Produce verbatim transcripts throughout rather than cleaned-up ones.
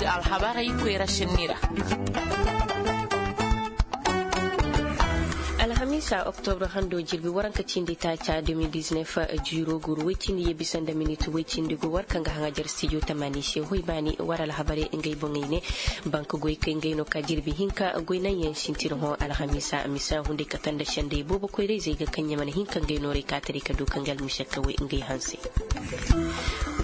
Alhabarey koyra sinni ra. Alhamiisa oktobra hando jirbi waranka cindi taaca deux mille dix-neuf, jiiro guru woy cindi ye bisa nda minit woy cindi go war kaŋ ga haŋajer stijo tamaani se hoy baani war alhabarey ngey boŋey ne. Bank goy kay ngey no ka jirbi hinka goy naŋ yaŋ sintin hõ alhamiisa misa hunday kate nda sendey boobo koyra-izey ga kaŋ ɲamana hinka ngey noorey ka taray ka du ka ngal mise kawey ngey hanse.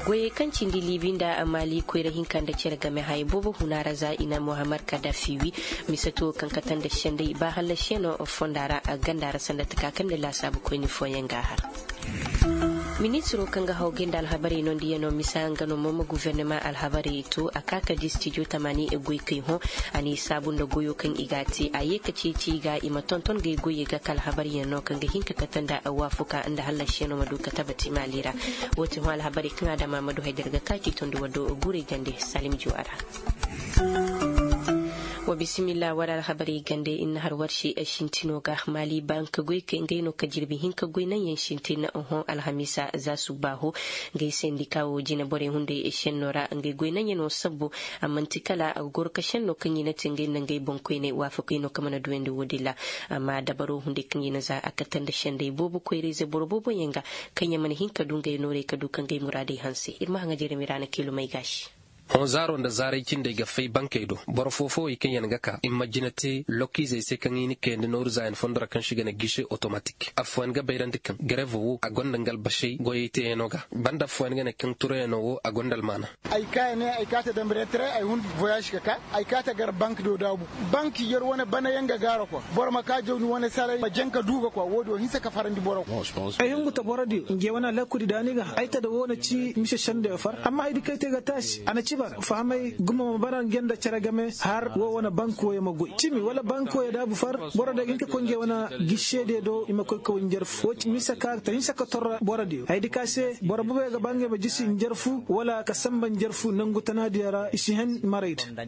Goyey kaŋ cindi liibi nda maali koyra hinka nda cere game haya boobo huna ra za i na mohammed kadafi wi. Mise to kaŋ kate nda sendey ba hallasi yaŋ no fonda ra ganda ra sanda taka kaŋ nda laasaabu koyni fooyaŋ ga a har. Ministiro kaŋ ga haw gay nda alhabarey nondiyaŋo misa nga no mooma gufernema alhabarey to a ka ka di stijo tamaani goykey hõ. A n'i saabu nda goyo kaŋ i ga a te a ye ka ceeci i ga i ma tonton gay goyey ga ka alhabaryaŋ no kaŋ ga hin ka kate nda waafuka nda hallasiyaŋo ma du ka tabati maali ra. Woo ti hõ alhabarey kaŋ a dama ma du haydar ga ka ci tondi waddo guurey jande salim juwa ra. Wa bisimilla war alhabarey gande ir na har war se sintino ga maali bank goykey ngey no ka jirbi hinka goy naŋ yaŋ sintin hõ alhamiisa za subbaaho. Ngey sendika wo jinaborey hunday senno ra ngey goy naŋ yaŋ no sabbu. A man'ti kala a ga goro ka senno kaŋ i na te ngey nda ngey boŋkoyney waafakey no kaŋ mana duyandi woodin ra. Amma dabaro hunday kaŋ i na za a kate nda sendey boobo koyra-ize boro boobo yaŋ ga kaŋ yaŋ mana hin ka du ngey noorey ka du ka ngey muraadey hanse ir ma haŋa jeremi ra na kiilumey gaasi. Hõ zaaro nda zaaray cindey ga fay bankey do boro foo-foowey kaŋ yaŋ ga ka i ma jina te lokizey se kaŋ i na kayandi nooru zaayan fondo ra kaŋ se i ga ne gise otomatik affooyaŋ ga bayrandi kaŋ garevo wo a gonda nga albasey goyey teeyaŋo ga banda affooyaŋ ga ne kaŋ turayaŋo wo a gonda almaana. Ay kaa ya ne ay kaa ta dambe retere ay hun voyage ka kaa ay kaa ta gar bank do daabu. Bank yer wane banayaŋ ga gaara kwa boro ma kaa jawni wane saray ma jaŋ ka duu ga kwa woodi wo hinsa ka farandi boro. Ay hungu ta borodiyo nge wane alhakudi daani ga ay ta da wo na ci mise sendey far amma haydi kaŋ ay te ga taasi a na ci bara fahamay gumo ma bara nge nda cere game har wo wane bank woyo ma goy cimi wala bank woyo daabu far. Borodiyo ga hin ka koy nge wane gisediyo do i ma koy ka way njarfu wo ci mise ka ta hinsa ka torra borodiyo haydi ka se boro boboyo ga ba ngey ma jisi njarfu wala ka samba njarfu nangu tanaadiyo ra i si hen maray da.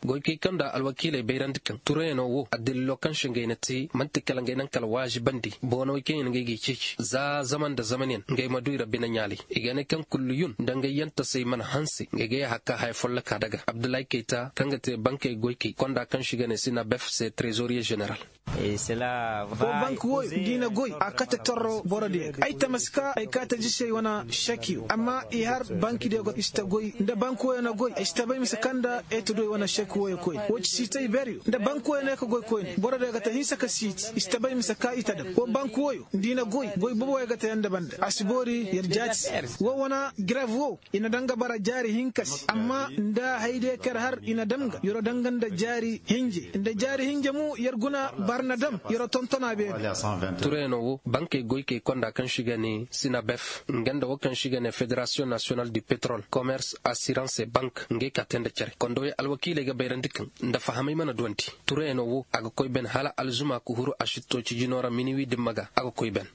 Goykey kaŋ nda alwakiiley bayrandi kaŋ turayaŋo wo addalilo kaŋ se ngey na te man'ti kala ngey naŋ kala waazibandi boonawey kaŋ yaŋ ngey g'i ceeci za zaman nda zamanyaŋ ngey ma du i rabbi naŋ ɲaalay. I ga ne kaŋ kulliyun nda ngey yaŋ tasey mana hanse ngey ga yaaha ka haya follokaa daga abdullahi kayta kaŋ ga te bankey goykey konda kaŋ se i ga ne sinabef se trezoriye ženeral. Wo bank wooyo nda i na goy a kate torro borodiyo ga ay tamasi ka ay kaate jisey wane sekiyo amma i har bankidiyo ga i si ta goy nda bank wooyo na goy ay si ta bay mise kaŋ nda ay ta du ay wane seki wooyo koyne woo ci siitay beryo nda bank wooyo no ay ka goy koyne borodiyo ga ta hinsa ka siiti i si ta bay mise ka i ta dam woo bank wooyo nda i na goy goy boboyo ga ta yaŋ nda banda a si boori yer jaati se woo wane grev woo i na daŋ ga bara jaari hinka se amma nda haydiyo kaŋ yer har i na daŋ ga yer'o daŋ ga nda jaari hinje nda jaari hinje mo yer guna bara na daŋ yer'o tonton a beene. Turayaŋo wo bankey goykey konda kaŋ se i ga ne sinabef nga nda wo kaŋ se i ga ne federasiyoŋ nasiyonal du petrol komers asirans e bank ngey ka te nda cere kondowey alwakiiley ga bayrandi kaŋ nda fahamay mana duwandi. Turayaŋo wo a ga koy ben hala alzuma ka huru a si to cijino ra miniwi dimma ga a ga koy ben.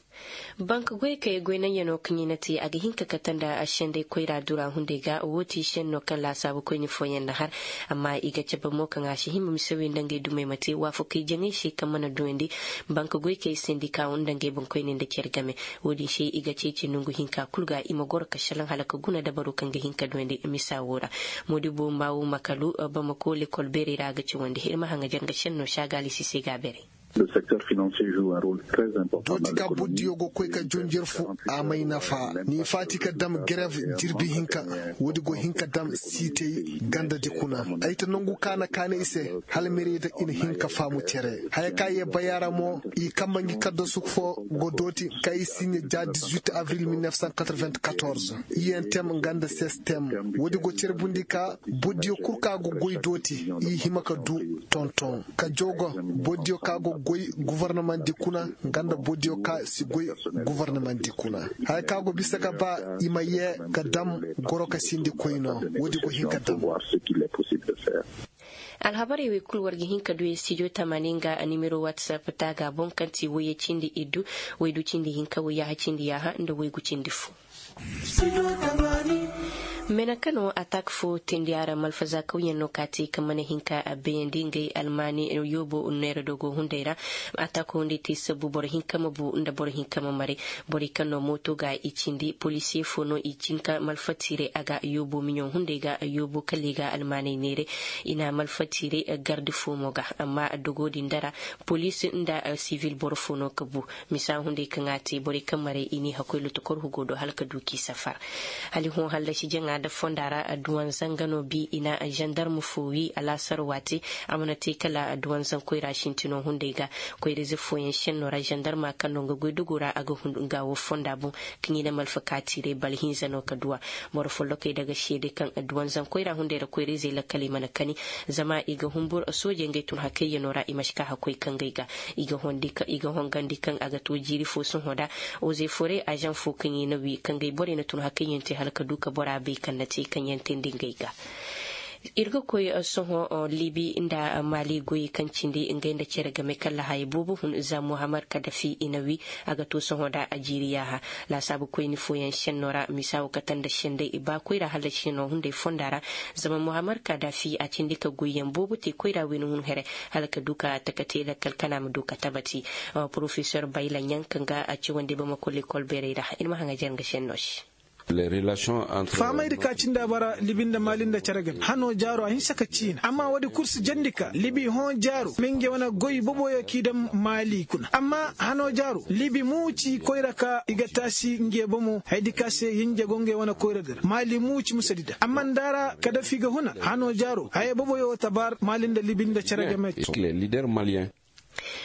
Bank goy kay goy naŋ yaŋo kaŋ i na te a ga hin ka kate nda sendey koyra dura hunday ga woo ti senno kaŋ laasaabu koyni fooyaŋ na har. Amma i ga cabe mo kaŋ a si hima mise wey nda ngey dumey ma te waafakey jaŋey se kaŋ mana duyandi. Bank goy kay sendika wo nda ngey boŋkoyney nda care game. Woo din se i ga ceeci nongu hinka kul ga i ma goro ka salaŋ hala ka guna dabaro kaŋ ga hin ka duyandi misa woo ra. Moodibo maawu makalu bamako lekol beerey ra a ga cawandi ir ma haŋajer nga senno saagaali sise ga beerey. Dooti ka buddiyo go koy ka jonjer fu a may nafa ni faati ka dam gerev jirbi hinka. Woodi go hin ka dam siitey gandadi kuna ay ta nangu ka na kaanay se hala merida i na hin ka faamu cere haya ka ye bayaara mo. I kamma ngi kaddasu fo go dooti ka i siɲe ja dix-huit avril mille neuf cent quatre-vingt-quatorze. I yaŋ tem nga nda ses tem. Woodi go cerbundi ka buddiyo kul ka go goy dooti i hima ka du tonton ka joogo. Boro diyo ka go goy guvarnamandi kuna nga nda boro diyo ka si goy guvarnamandi kuna. Haya ka go bisa ga ba i ma ye ga dam goro ka sindi koyno. Woodi go hin ga dam. Alhabarey wey kul war ga hin ka du ye studio tamaani nga nimero whatsapp taaga boŋ kaŋ ti woyye cindi iddu, waydu cindi hinka, wayyaaha cindi yaaha nda waygu cindi fu. Meneka no atak fo tindi a ra malfaza kawyaŋ no ka te kaŋ mana hin ka bayandi ngey almaani yoobo neera dogo hunday ra. Atak hunday te sabbu boro hinka ma bu nda boro hinka ma maray. Borey kaŋ no mooto ga i cindi polisiye fo no i cin ka malfatiiray a ga yoobo miɲo hunday ga yoobo kala i ga almaaney neeray. I na malfatiiray garde fo mo ga amma dogo din dara polis nda sivil boro fo no ka bu. Misa hunday kaŋ a te borey kaŋ maray i n'i hakkoy lotokor hugo do hala ka du k'i safar. Hala i hõ hallasi jaŋa nda fonda ra adduwanza nga no bi i na zandarm fo wi alaasar waati. A mana te kala adduwanzan koyra sintino hunday ga koyra ize fooyaŋ senno ra zandarma kaŋ no nga goydugu ra a ga hundu nga wo fonda boŋ. Kaŋ i na malfa kaatiiray bala hinza no ka duwa. Boro follokey daga seede kaŋ adduwanzan koyra hunday ra koyra izey lakkaley mana kani. Zama i ga humbur soojey ngey tun hakayyanoo ra i ma si ka hakkoy kangey ga. I ga hongandi kaŋ a ga to jiiri fo sohõ da ozey forey azaŋ fo kaŋ i na wi kangey borey na tun hakayyan te hala ka du ka bora bay kaŋ na te kaŋ yaŋ teendi ngey ga. Ir ga koy sohõ libi nda maali goyey kaŋ cindi ngey nda cere game kaŋ lahayey boobo hun za muhammad kadafi i na wi. A ga to sohõ da a jiiri yaaha laasaabu koyni fooyaŋ senno ra misa wo kate nda senday i ba koyra hallasi no hunday fonda ra. Zama muhammad kadafi a cindi ka goyyaŋ boobo te koyra wayna hun here hala ka du ka taka te lakkal kana ma du ka tabati. Porofesor bayla ɲaŋ kaŋ ga a cawandi bamako lekol beerey ra ir ma haŋajer nga senno se. Fahamay di ka cindi a bara libi nda maali nda cere game hano jaaro a hinsa ka ciina amma woodi kul si jandi ka libi hõ jaaro ma ngey wane goy boboyo k'i daŋ maali kuna amma hano jaaro libi mo ci koyra ka i ga taasi ngey bomo haya di ka se hinja go ngey wane koyra di ra maali mo ci musadi da amma nda a ra kadafi ga huna hano jaaro haya boboyo tabaar maali nda libi nda cere game.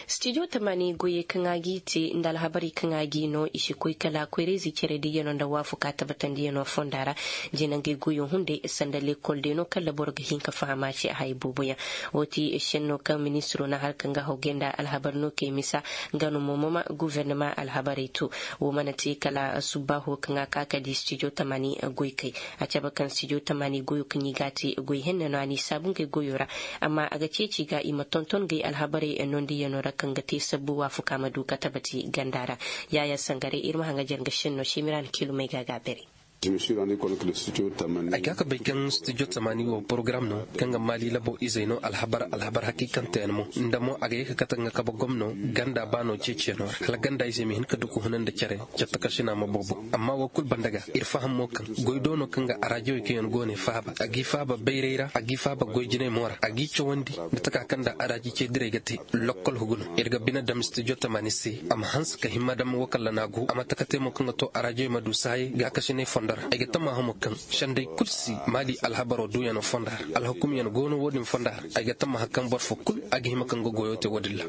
Stijo tamaani goyey kaŋ a g'i te nda alhabarey kaŋ a g'i no i si koy kala koyrayzey cere diyanoo nda waafuka tabatandiyanoo fonda ra. Jina ngey goyoo hunday sanda lekol day no kala boro ga hin ka faham a se a haya booboyaŋ. Woo ti senno kaŋ ministiroo na har ka nga hawgay nda alhabar no kay misa. Nga no mo mama gofornama alhabarey to. Woo mana te kala subbaaho kaŋ a ka ka di stijo tamaani goykey. A cabe kaŋ stijo tamaani goyoo kaŋ i g'a te goy henne no a n'i saabu ngey goyoo ra. Amma a ga ceeci ga i ma tonton gay alhabarey nondiyanoo ra kaŋ ga te sabbu waafuka ma du ka tabati ganda ra. Yaayaa sangaray ir ma haŋajer nga senno semiraan kilumey ga a ga a beray. Ay ka ka bay kaŋ stijo tamaani wo porogaram no kaŋ ga maali labo izey no alhabar alhabar hakiikanteyaŋ mo nda mo a ga ye ka kate nga kabe gomno ganda baano ceeciyanoo ra hala ganda izey ma hin ka du ka huna nda cere. Catta kasina ma boobo amma woo kul banda ga ir faham mo kaŋ goy do no kaŋ ga araajowey kaŋ yaŋ go ne faaba a g'i faaba bayray ra a g'i faaba goy jinay mo ra a g'i cawandi nda taka kaŋ nda araaji cee direy ga te. Lokkol hugu no ir ga bine dam stijo tamaani se a ma hanse ka himma dam woo kalla n'a go a ma taka te mo kaŋ ga to araajowey ma du saayey gaakasinay fondo ra ay ga tammaha mo kaŋ senday kul si maali alhabaroo duuyanoo fonda ra alhukumyaŋ go no woo din fonda ra. Ay ga tammaha kaŋ boro foo kul a ga hima kaŋ ga goyoo te woo din ra.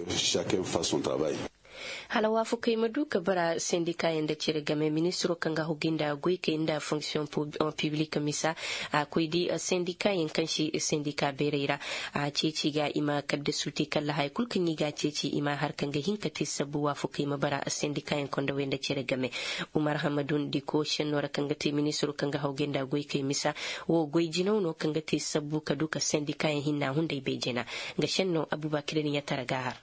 Hala waafakey ma du ka bara sendikaayaŋ nda cere game ministiroo kaŋ ga hugi nda goykey nda fonksiyoŋ piblik misa. A koy di sendikaayaŋ kaŋ si sendika beerey ra a ceeci ga i ma kaddasu te kalla haya kul kaŋ i ga a ceeci i ma a har kaŋ ga hin ka te sabbu waafakey ma bara sendikaayaŋ kondowey nda cere game. Umar hamadun diko sennoo ra kaŋ ga te ministiroo kaŋ ga hawgay nda goykey misa. Woo goy jinaw no kaŋ ga te sabbu ka du ka sendikaayaŋ hinna hunday bay jina. Nga sennoo abubakirin yatara ga a har.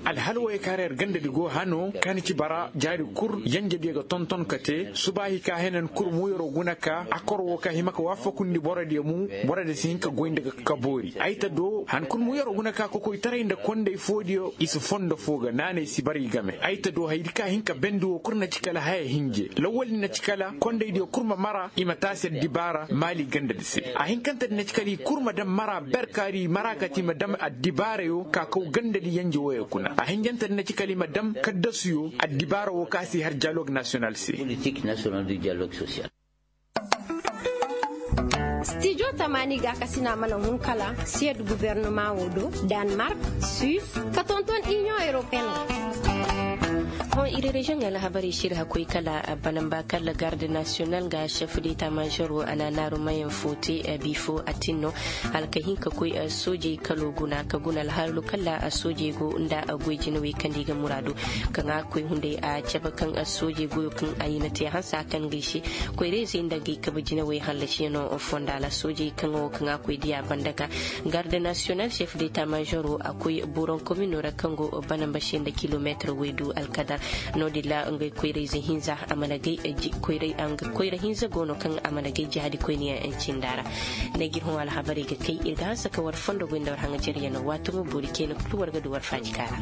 Alhal wooyey kaŋ ra yer gandadi go hano kaŋ ni ci bara jaari kul yanjediyo ga tonton ka te subaahi ka henan kul mu yeroo guna ka akor woo ka hima ka waafakundi borodiyo mu. Borodiyo si hin ka goy nda ga ka boori ay ta do han kul mu yeroo guna ka kokoytaray nda kondey foodiyo i si fondo foo ga naanay si bara i game ay ta do hayadi ka hin ka bendi woo kul na ci kala haya hinje lawwal din na ci kala kondeydiyo kul ma mara i ma taasi addibaara maali gandadi se. Ahinkantedi na ci kala i kul ma daŋ mara ber kaari mara kati i ma daŋ addibaarayo ka kaw gandadi yanje wooyo kuna ahinjantedi na ci kala i ma daŋ kaddasuyo addibaara woo ka si har dialogue nasiyonal se. Stijo tamaani gaakasina mana hun kala siyed gubernama woo do, danmark, suis, ka tonton iniyoŋ europeen ra. Hõ iri reziyoŋ alhabarey si ir hakoy kala banamba kala garde nasiyonal nga sef deta mazer woo a na naarumayaŋ foo te. Bifo a tin no hala ka hin ka koy soojey kaloo guna ka guna alhaalu kala soojey go nda goy jinawey kaŋ nda i ga muraadu. Kaŋ a ga koy hunday a cabe kaŋ soojey goyoo kaŋ a hina te hanse a kaŋ ga i se koyrayzey nda ngey kabe jinawey hallasiyaŋo fonda ra soojey kaŋ wo kaŋ a koy diya banda ga garde nasiyonal sef deta mazer woo a koy boron kominoo ra kaŋ go banamba se nda kilomeetir waydu alkadar. No-din ra ngey koyrayze hinza a mana gay koyra hinza go no kaŋ a mana gay jihadi koyniyaŋ cinda ra. Nda g'ir hõ alhabarey ga kay ir ga hanse ka war fondo goy nda war haŋajeryaŋ no waati mo boori cayna kulu war ga du war faajika ra.